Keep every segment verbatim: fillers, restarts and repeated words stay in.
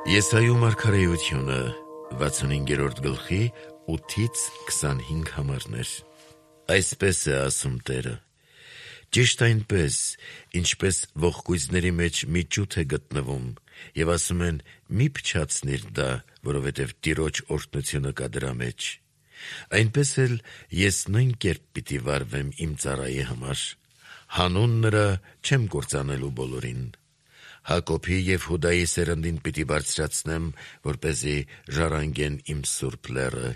Եսայու մարգարեությունը վաթսունհինգերորդ գլխի ութից քսանհինգ համարներ։ Այսպես է ասում Տերը. «Ճիշտ այնպես, ինչպես ողկույզների մեջ մի ճութ է գտնվում, և ասում են՝ մի փչացնիր դա, որովհետև Տիրոջ օրհնությունը կա դրա մեջ, այնպես էլ ես նույն կերպ պիտի վարվեմ իմ ծառայի համար, հանուն նրա չեմ կործանելու բոլորին։ Հակոբի և Հուդայի սերնդին պիտի բարձրացնեմ, որպեսզի ժառանգեն իմ սուրբ լեռը,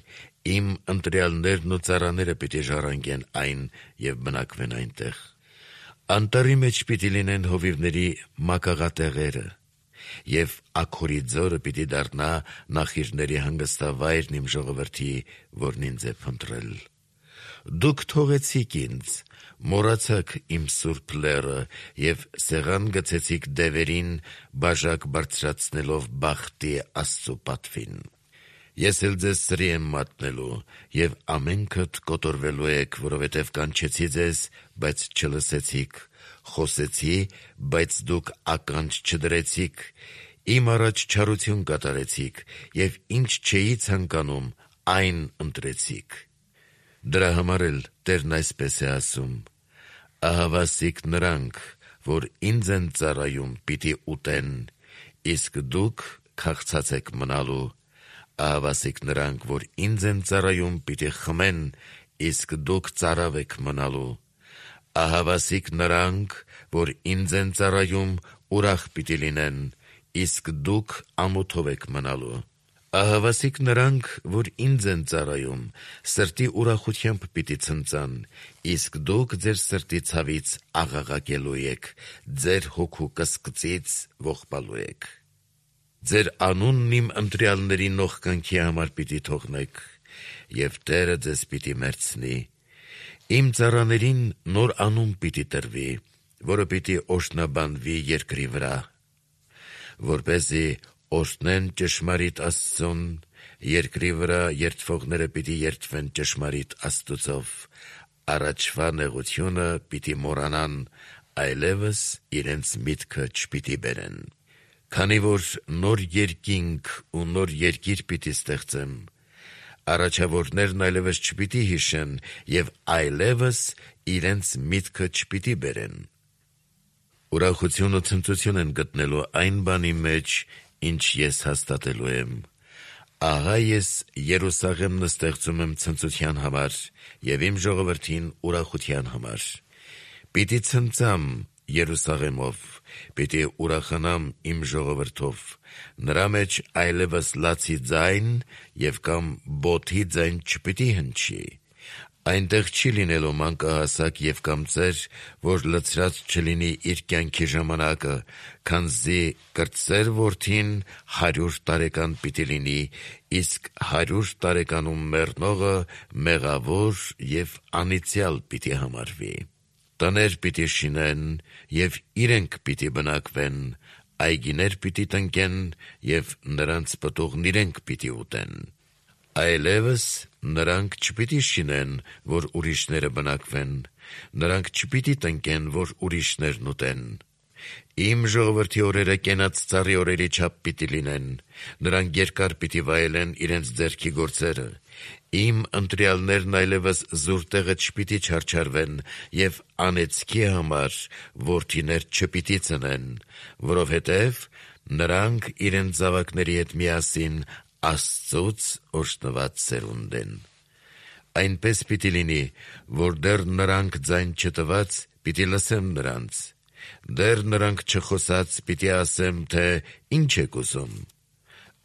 իմ ընտրյալներն ու ծառաները պիտի ժառանգեն այն և բնակվեն այնտեղ։ Անտառի մեջ պիտի լինեն հովիվների մակաղատեղերը, և աքորի ձորը պիտի դառնա նախիրների հանգստավայրն իմ ժողովրդի, որն ինձ է փնտրել։ Դուք թողեցիք ինձ, մոռացաք իմ սուրբ լեռը և սեղան գցեցիք դևերին, բաժակ բարձրացնելով բախտի Աստծու պատվին։ Ես էլ ձեզ սրի եմ մատնելու, և ամենքդ կոտորվելու եք, որովհետև կանչեցի ձեզ, բայց չլսեցիք, խոսեցի, բայց դուք ականջ չդրեցիք, իմ առաջ չարություն կատարեցիք, և ինչ չէի ցանկանում, այն ընտրեցիք։ Դրա համար էլ Տերն այսպես է ասում. ահավասիկ նրանք, որ ինձ են ծառայում, պիտի ուտեն, իսկ դուք քաղցած եք մնալու, ահավասիկ նրանք, որ ինձ են ծառայում, պիտի խմեն, իսկ դուք ծարավ եք մնալու, ահավասիկ նրանք, որ ինձ են ծառայում, ուրախ պիտի լինեն, իսկ դուք ամոթով եք մնալու, ահավասիկ նրանք, որ ինձ են ծառայում, սրտի ուրախությամբ պիտի ցնծան, իսկ դուք ձեր սրտի ցավից աղաղակելու եք, ձեր հոգու կսկծից ողբալու եք։ Ձեր անունն իմ ընտրյալների նողկանքի համար պիտի թողնեք, և Տերը ձեզ պիտի մերձնի։ Իմ ծառաներին նոր անուն պիտի տրվի, որը պիտի օրհնաբանվի երկրի վրա, որպեսզի օրհնեն ճշմարիտ Աստծուն, երկրի վրա երդվողները պիտի երդվեն ճշմարիտ Աստուծով, առաջվա նեղությունը պիտի մոռանան, այլևս իրենց միտքը չպիտի բերեն։ Քանի որ նոր երկինք ու նոր երկիր պիտի ստեղծեմ, առաջավորներն այլևս չպիտի հիշեն և այլևս իրենց միտքը չպիտի բերեն։ Ուրախություն ու ցնծություն են գտնելու այն բանի մեջ, ինչ ես հաստատելու եմ։ Ահա ես Երուսաղեմն ստեղծում եմ ցնծության համար և իմ ժողովրդին ուրախության համար։ Պիտի ցնծամ Երուսաղեմով, պիտի ուրախանամ իմ ժողովրդով, նրա մեջ այլևս լացի ձայն և կամ բոթի ձայն չպիտի հնչի։ Այնտեղ չի լինելու մանկահասակ և կամ ծեր, որ լցրած չլինի իր կյանքի ժամանակը, քանզի կրտսեր որդին հարյուր տարեկան պիտի լինի, իսկ հարյուր տարեկանում մեռնողը մեղավոր և անիծյալ պիտի համարվի։ Տներ պիտի շինեն, և իրենք պիտի բնակվեն, այգիներ պիտի տնկեն, և նրանց պտուղն իրենք պիտի ուտեն։ Այլևս նրանք չպիտի շինեն, որ ուրիշները բնակվեն, նրանք չպիտի տնկեն, որ ուրիշներն ուտեն։ Իմ ժողովրդի օրերը կենաց ծառի օրերի չափ պիտի լինեն, նրանք երկար պիտի վայելեն իրենց ձեռքի գործերը։ Իմ ընտրյալներն այլևս զուր տեղը չպիտի չարչարվեն և անեծքի համար որդիներ չպիտի ծնեն, որովհետև նրանք իրենց զավակների հետ միասին Աստծուց օրհնված սերունդ են։ Այնպես պիտի լինի, որ դեռ նրանք ձայն չտված, պիտի լսեմ նրանց, դեռ նրանք չխոսած, պիտի ասեմ, թե ինչ եք ուզում։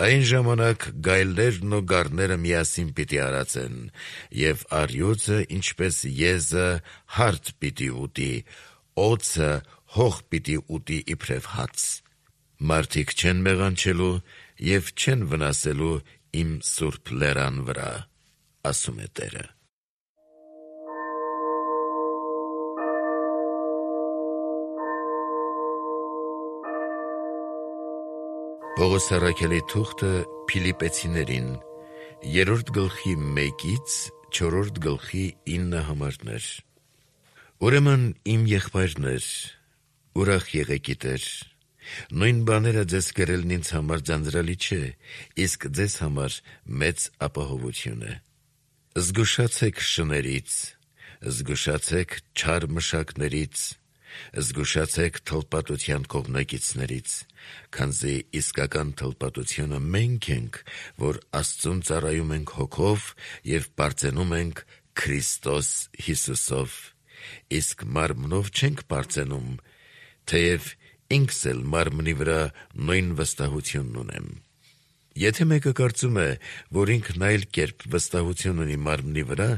Այն ժամանակ գայլերն ու գառները միասին պիտի արածեն, և առյուծը, ինչպես եզը, հարթ պիտի ուտի, օձը հող պիտի ուտի իբրև հաց։ Մարդիկ չեն մեղանչելու և չեն վնասելու իմ սուրբ լեռան վրա, ասում է Տերը։ Պողոս առաքյալի թուղթը Փիլիպպեցիներին, երրորդ գլխի մեկից չորրորդ գլխի ինը համարներ։ Ուրեմն իմ եղբայրներ, ուրախ եղեք ի Տեր։ Նույն բաները ձեզ գրելն ինձ համար ձանձրալի չէ, իսկ ձեզ համար մեծ ապահովություն է։ Զգուշացեք շներից, զգուշացեք չար մշակներից, զգուշացեք թլպատության կողմնակիցներից, քանզի իսկական թլպատությունը մենք ենք, որ Աստծուն ծառայում ենք հոգով և պարծենում ենք Քրիստոս Հիսուսով, իսկ մարմնով չենք պարծենում, թեև ինքս էլ մարմնի վրա նույն վստահությունն ունեմ։ Եթե մեկը կարծում է, որ ինքն այլ կերպ վստահություն ունի մարմնի վրա,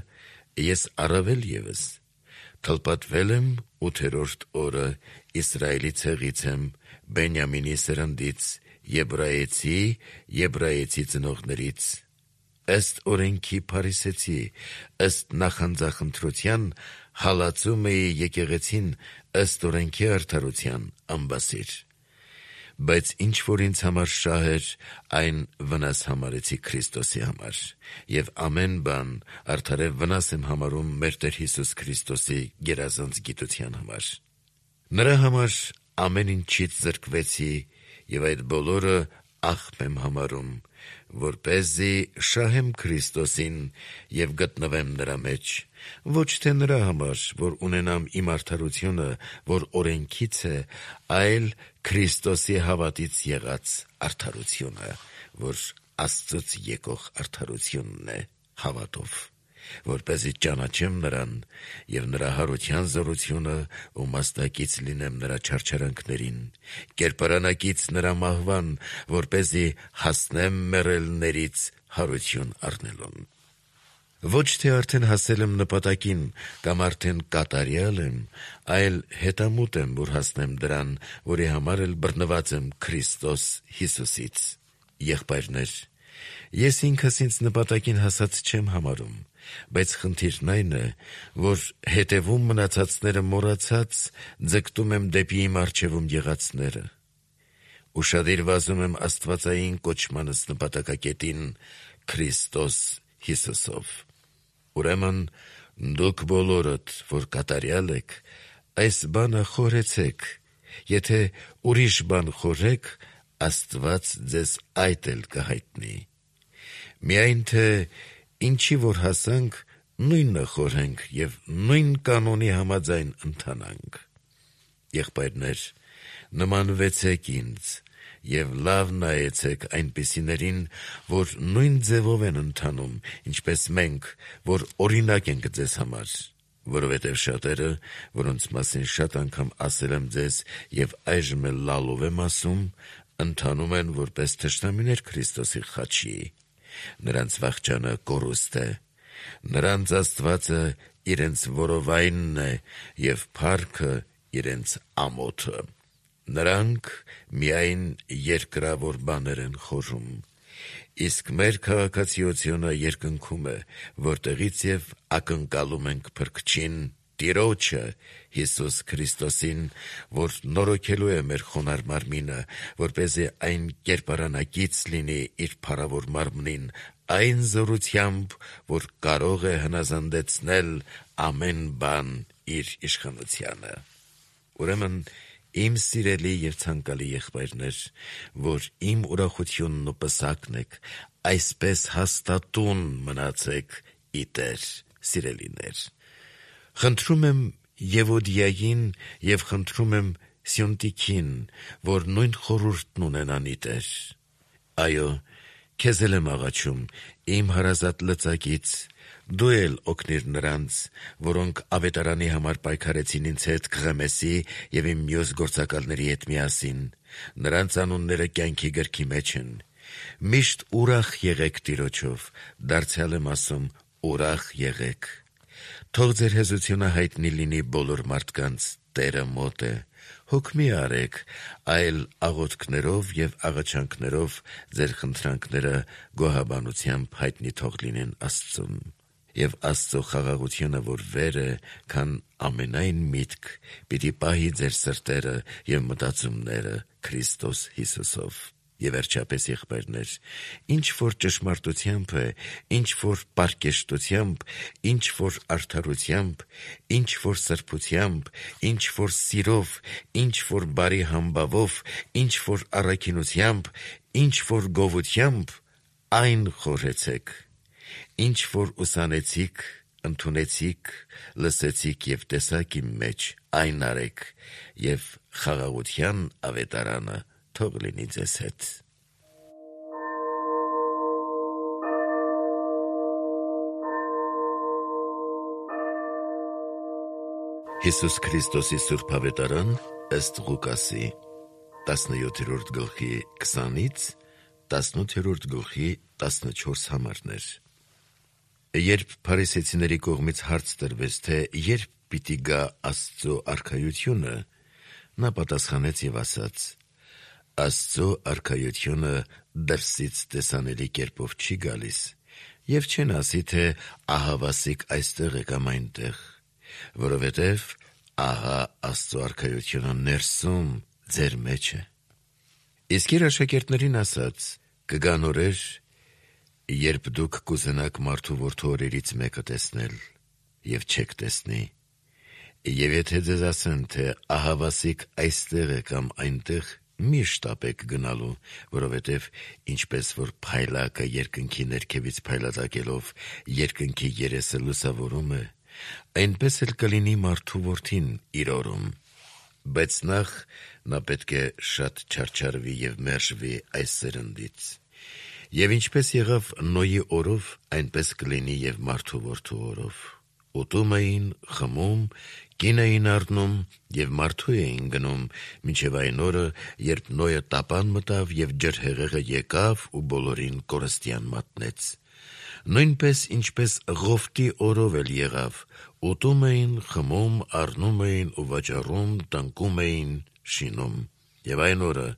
ես առավել ևս։ Թլպատվել եմ ութերորդ օրը, Իսրայելի ցեղից եմ, Բենյամինի սերնդից, եբրայեցի, եբրայեցի ծնողներից, ըստ օրենքի փարիսեցի, ըստ նախանձախնդրության հալածում էի եկեղեցին, ըստ օրենքի արդարության ամբասիր։ Բայց ինչ որ ինձ համար շահ էր, այն վնաս համարեցի Քրիստոսի համար, և ամեն բան արդարև վնաս եմ համարում մեր Տեր Հիսուս Քրիստոսի գերազանց գիտության համար։ Նրա համար ամեն ինչից զրկվեցի և այդ բոլորը աղբ եմ համարում, որպեսզի շահեմ Քրիստոսին և գտնվեմ նրա մեջ, ոչ թե նրա համար, որ ունենամ իմ արդարությունը, որ օրենքից է, այլ Քրիստոսի հավատից եղած արդարությունը, որ Աստծուց եկող արդարությունն է հավատով, որպեսզի ճանաչեմ նրան և նրա հարության զորությունը ու մասնակից լինեմ նրա չարչարանքներին, կերպարանակից նրա մահվան, որպեսզի հասնեմ մեռելներից հարություն առնելուն։ Ոչ թե արդեն հասել եմ նպատակին կամ արդեն կատարյալ եմ, այլ հետամուտ եմ, որ հասնեմ դրան, որի համար էլ բռնված եմ Քրիստոս Հիսուսից։ Եղբայրներ, ես ինքս ինձ նպատակին հասած չեմ համարում, բայց խնդիրն այն է, որ հետևում մնացածները մոռացած ձգտում եմ դեպի իմ առջևում եղածները։ Ուշադիր վազում եմ աստվածային կոչմանս նպատակակետին Քրիստոս Հիսուսով։ Ուրեմն դուք բոլորդ, որ կատարյալ եք, այս բանը խորհեցեք, եթե ուրիշ բան խորհեք, Աստված ձեզ այդ էլ կհայտնի։ Միայն թե ինչի որ հասանք, նույնը խորհենք և նույն կանոնի համաձայն ընթանանք։ Եղբայրներ, նմանվեցեք ինձ և լավ նայեցեք այնպիսիներին, որ նույն ձևով են ընթանում, ինչպես մենք, որ օրինակ ենք ձեզ համար, որովհետև շատերը, որոնց մասին շատ անգամ ասել եմ ձեզ և այժմ էլ լալով եմ ասում, ընթանում են որպես թշնամիներ Քրիստոսի խաչի, նրանց վախճանը կորուստ է, նրանց Աստվածը իրենց որովայնն է և փառքը իրենց ամոթը, նրանք միայն երկրավոր բաներ են խորհում, իսկ մեր քաղաքացիությունը երկնքում է, որտեղից և ակնկալում ենք Փրկչին, Տիրոջը Հիսուս Քրիստոսին, որ նորոգելու է մեր խոնարհ մարմինը, որպեսզի այն կերպարանակից լինի իր փառավոր մարմնին, այն զորությամբ, որ կարող է հնազանդեցնել ամեն բան իր իշխանությանը։ Ուրեմն, իմ սիրելի և ցանկալի եղբայրներ, որ իմ ուրախությունն ու պսակն եք, այսպես հաստատուն մնացեք ի Տեր, սիրելիներ։ Խնդրում եմ Եվոդիային և խնդրում եմ Սյունտիքին, որ նույն խորհուրդն ունենան ի Տեր։ Այո, քեզ էլ եմ աղաչում, իմ հարազատ լծակից, դու էլ օգնիր նրանց, որոնք ավետարանի համար պայքարեցին ինձ հետ Քղեմեսի և իմ մյուս գործակալների հետ միասին, նրանց անունները կյանքի գրքի մեջ են։ Միշտ ուրախ եղեք Տիրոջով, դարձյալ եմ ասում, ուրախ եղեք։ Թող ձեր հեզությունը հայտնի լինի բոլոր մարդկանց, Տերը մոտ է։ Հոգ մի արեք, այլ աղոթքներով և աղաչանքներով ձեր խնդրանքները գոհաբանությամբ հայտնի թող լինեն Աստծուն։ Եվ Աստծո խաղաղությունը, որ վեր է, քան ամենայն միտք, պիտի պահի ձեր սրտերը և մտածումները Քրիստոս Հիսուսով։ Եվ վերջապես եղբայրներ, ինչ որ ճշմարտությամբ է, ինչ որ պարկեշտությամբ, ինչ որ արդարությամբ, ինչ որ սրբությամբ, ինչ որ սիրով, ինչ որ բարի համբավով, ինչ որ առաքինությամբ, ինչ որ գովությամբ, այն խորհեցեք, ինչ որ ուսանեցիք, ընդունեցիք, լսեցիք և տեսաք իմ մեջ, այն արեք, և խաղաղության ավետարանը թող լինի ձեզ հետ։ Հիսուս Քրիստոսի Սուրբ Ավետարան ըստ Ղուկասի տասնյոթերորդ գլխի քսանից տասնութերորդ գլխի տասնչորս համարներ։ Երբ փարիսեցիների կողմից հարց տրվեց, թե երբ պիտի գա Աստծո արքայությունը, նա պատասխանեց և ասաց. Աստծո արքայությունը դրսից տեսանելի կերպով չի գալիս, և չեն ասի, թե ահավասիկ այստեղ է կամ այնտեղ, որովհետև ահա Աստծո արքայությունը ներսում ձեր մեջ է։ Իսկ իր աշակերտներին ասաց. կգան օրեր, երբ դուք կուզենաք մարդու որդու օրերից մեկը տեսնել, և չեք տեսնի, և եթե ձեզ ասեն, թե ահավասիկ այստեղ է կամ այնտեղ, մի շտապեք գնալու, որովհետև ինչպես որ փայլակը երկնքի ներքևից փայլատակելով երկնքի երեսը լուսավորում է, այնպես էլ կլինի մարդու որդին իր օրում, բայց նախ նա պետք է շատ չարչարվի և մերժվի այս սերնդից։ Եվ ինչպես եղավ Նոյի օրով, այնպես կլինի և մարդու որդու օրով։ Ուտում էին, խմում, կին էին առնում և մարդու էին գնում, մինչև այն օրը, երբ Նոյը տապան մտավ և ջրհեղեղը եկավ ու բոլորին կորստյան մատնեց։ Նույնպես ինչպես Ղովտի օրով էլ եղավ, ուտում էին, խմում, առնում էին ու վաճառում, տնկում էին, շինում։ Եվ այն օրը,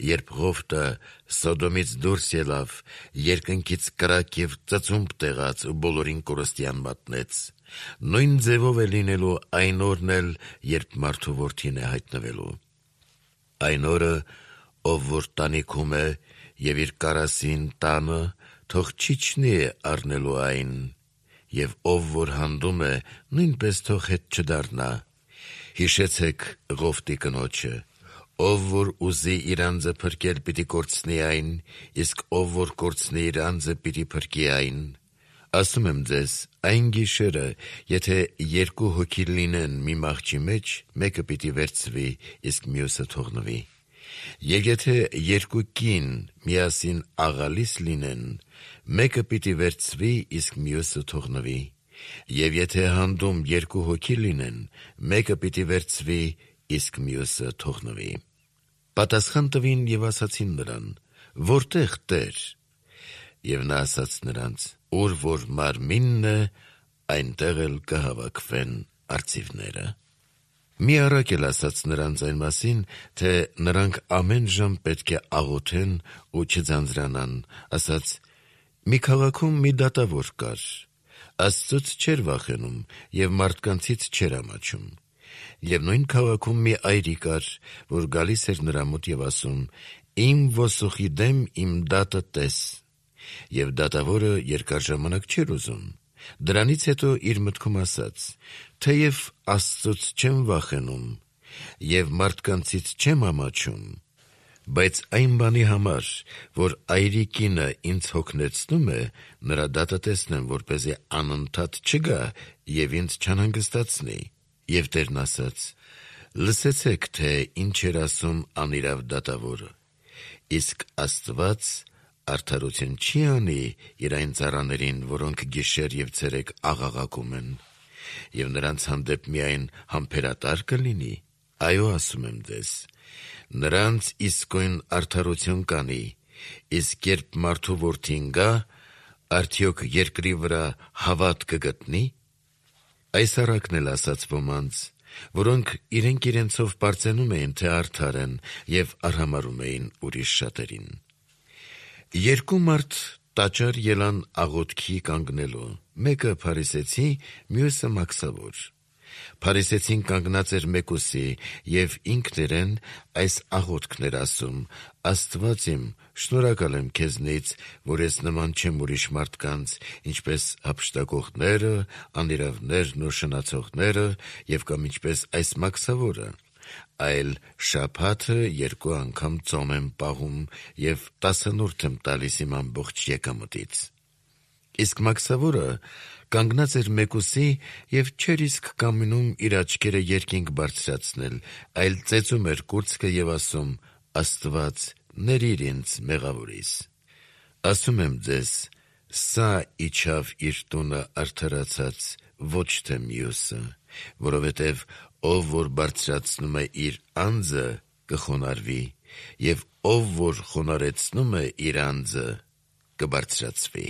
երբ Ղովտը Սոդոմից դուրս ելավ, երկնքից կրակ և ծծումբ տեղաց ու բոլորին կորստյան մատնեց, նույն ձևով է լինելու այն օրն էլ, երբ մարդու որդին է հայտնվելու։ Այն օրը, ով որ տանիքում է և իր կարասին տանը, թող չիջնի առնելու այն, և ով որ հանդում է, նույնպես թող հետ չդառնա։ Հիշեցեք Ղովտի կնոջը. ով որ ուզի իր անձը փրկել, պիտի կորցնի այն, իսկ ով որ կորցնի իր անձը, պիտի փրկի այն։ Ասում եմ ձեզ, այն գիշերը, եթե երկու հոգի լինեն մի մահճի մեջ, մեկը պիտի վերցվի, իսկ մյուսը թողնվի։ Եվ եթե երկու կին միասին աղալիս լինեն, մեկը պիտի վերցվի, իսկ մյուսը թողնվի։ Եվ եթե հանդում երկու հոգի լինեն, մեկը պիտի վերցվի, իսկ մյուսը թողնվի։ Պատասխան տվին և ասացին նրան. Որտե՞ղ Տեր։ Եվ նա ասաց նրանց. ուր որ մարմինն է, այնտեղ էլ կհավաքվեն արծիվները։ Մի առակ էլ ասաց նրանց այն մասին, թե նրանք ամեն ժամ պետք է աղոթեն ու չձանձրանան, ասաց. մի քաղաքում մի դատավոր կար, Աստծուց չէր վախենում և մարդկանցից չէր ամաչում։ Եվ նույն քաղաքում մի այրի կար, որ գալիս էր նրա մոտ և ասում. իմ ոսոխի դեմ իմ դատը տես։ Եվ դատավորը երկար ժամանակ չէր ուզում։ Դրանից հետո իր մտքում ասաց. թեև Աստծուց չեմ վախենում և մարդկանցից չեմ ամաչում, բայց այն բանի համար, որ այրի կինը ինձ հոգնեցնում է, նրա դատը տեսնեմ, որպեսզի անընդհատ չգա և ինձ չանհանգստացնի։ Եվ Տերն ասաց. լսեցեք, թե ինչ էր ասում անիրավ դատավորը, իսկ Աստված արդարություն չի անի իր այն ծառաներին, որոնք գիշեր և ցերեկ աղաղակում են, և նրանց հանդեպ միայն համբերատար կլինի։ Այո, ասում եմ ձեզ, նրանց իսկույն արդարություն կանի, իսկ երբ մարդու որդին գա, արդյոք երկրի վրա հավատ կգտնի։ Այս առակն էլ ասաց ոմանց, որոնք իրենք իրենցով պարծենում էին, թե արդար են, և արհամարհում էին ուրիշ շատերին։ Երկու մարդ տաճար ելան աղոթքի կանգնելու, մեկը փարիսեցի, մյուսը մաքսավոր։ Փարիսեցին կանգնած էր մեկուսի եւ ինքն իրեն այս աղոթքն էր ասում. «Աստված իմ, շնորհակալ եմ քեզնից, որ ես նման չեմ ուրիշ մարդկանց, ինչպես հափշտակողները, անիրավներն ու շնացողները եւ կամ ինչպես այս մաքսավորը, այլ շաբաթը երկու անգամ ծոմ եմ պահում եւ տասնորդ եմ տալիս իմ ամբողջ եկամտից»։ Իսկ մաքսավորը կանգնած էր մեկուսի եւ չէր իսկ կամենում իր աչքերը երկինք բարձրացնել, այլ ծեծում էր կուրծքը եւ ասում. «Աստված, ներիր ինձ մեղավորիս»։ Ասում եմ ձեզ, սա իջավ իր տունը արդարացած, ոչ թե մյուսը, որովհետեւ ով որ բարձրացնում է իր անձը, կխոնարհվի, եւ ով որ խոնարհեցնում է իր անձը, կբարձրացվի։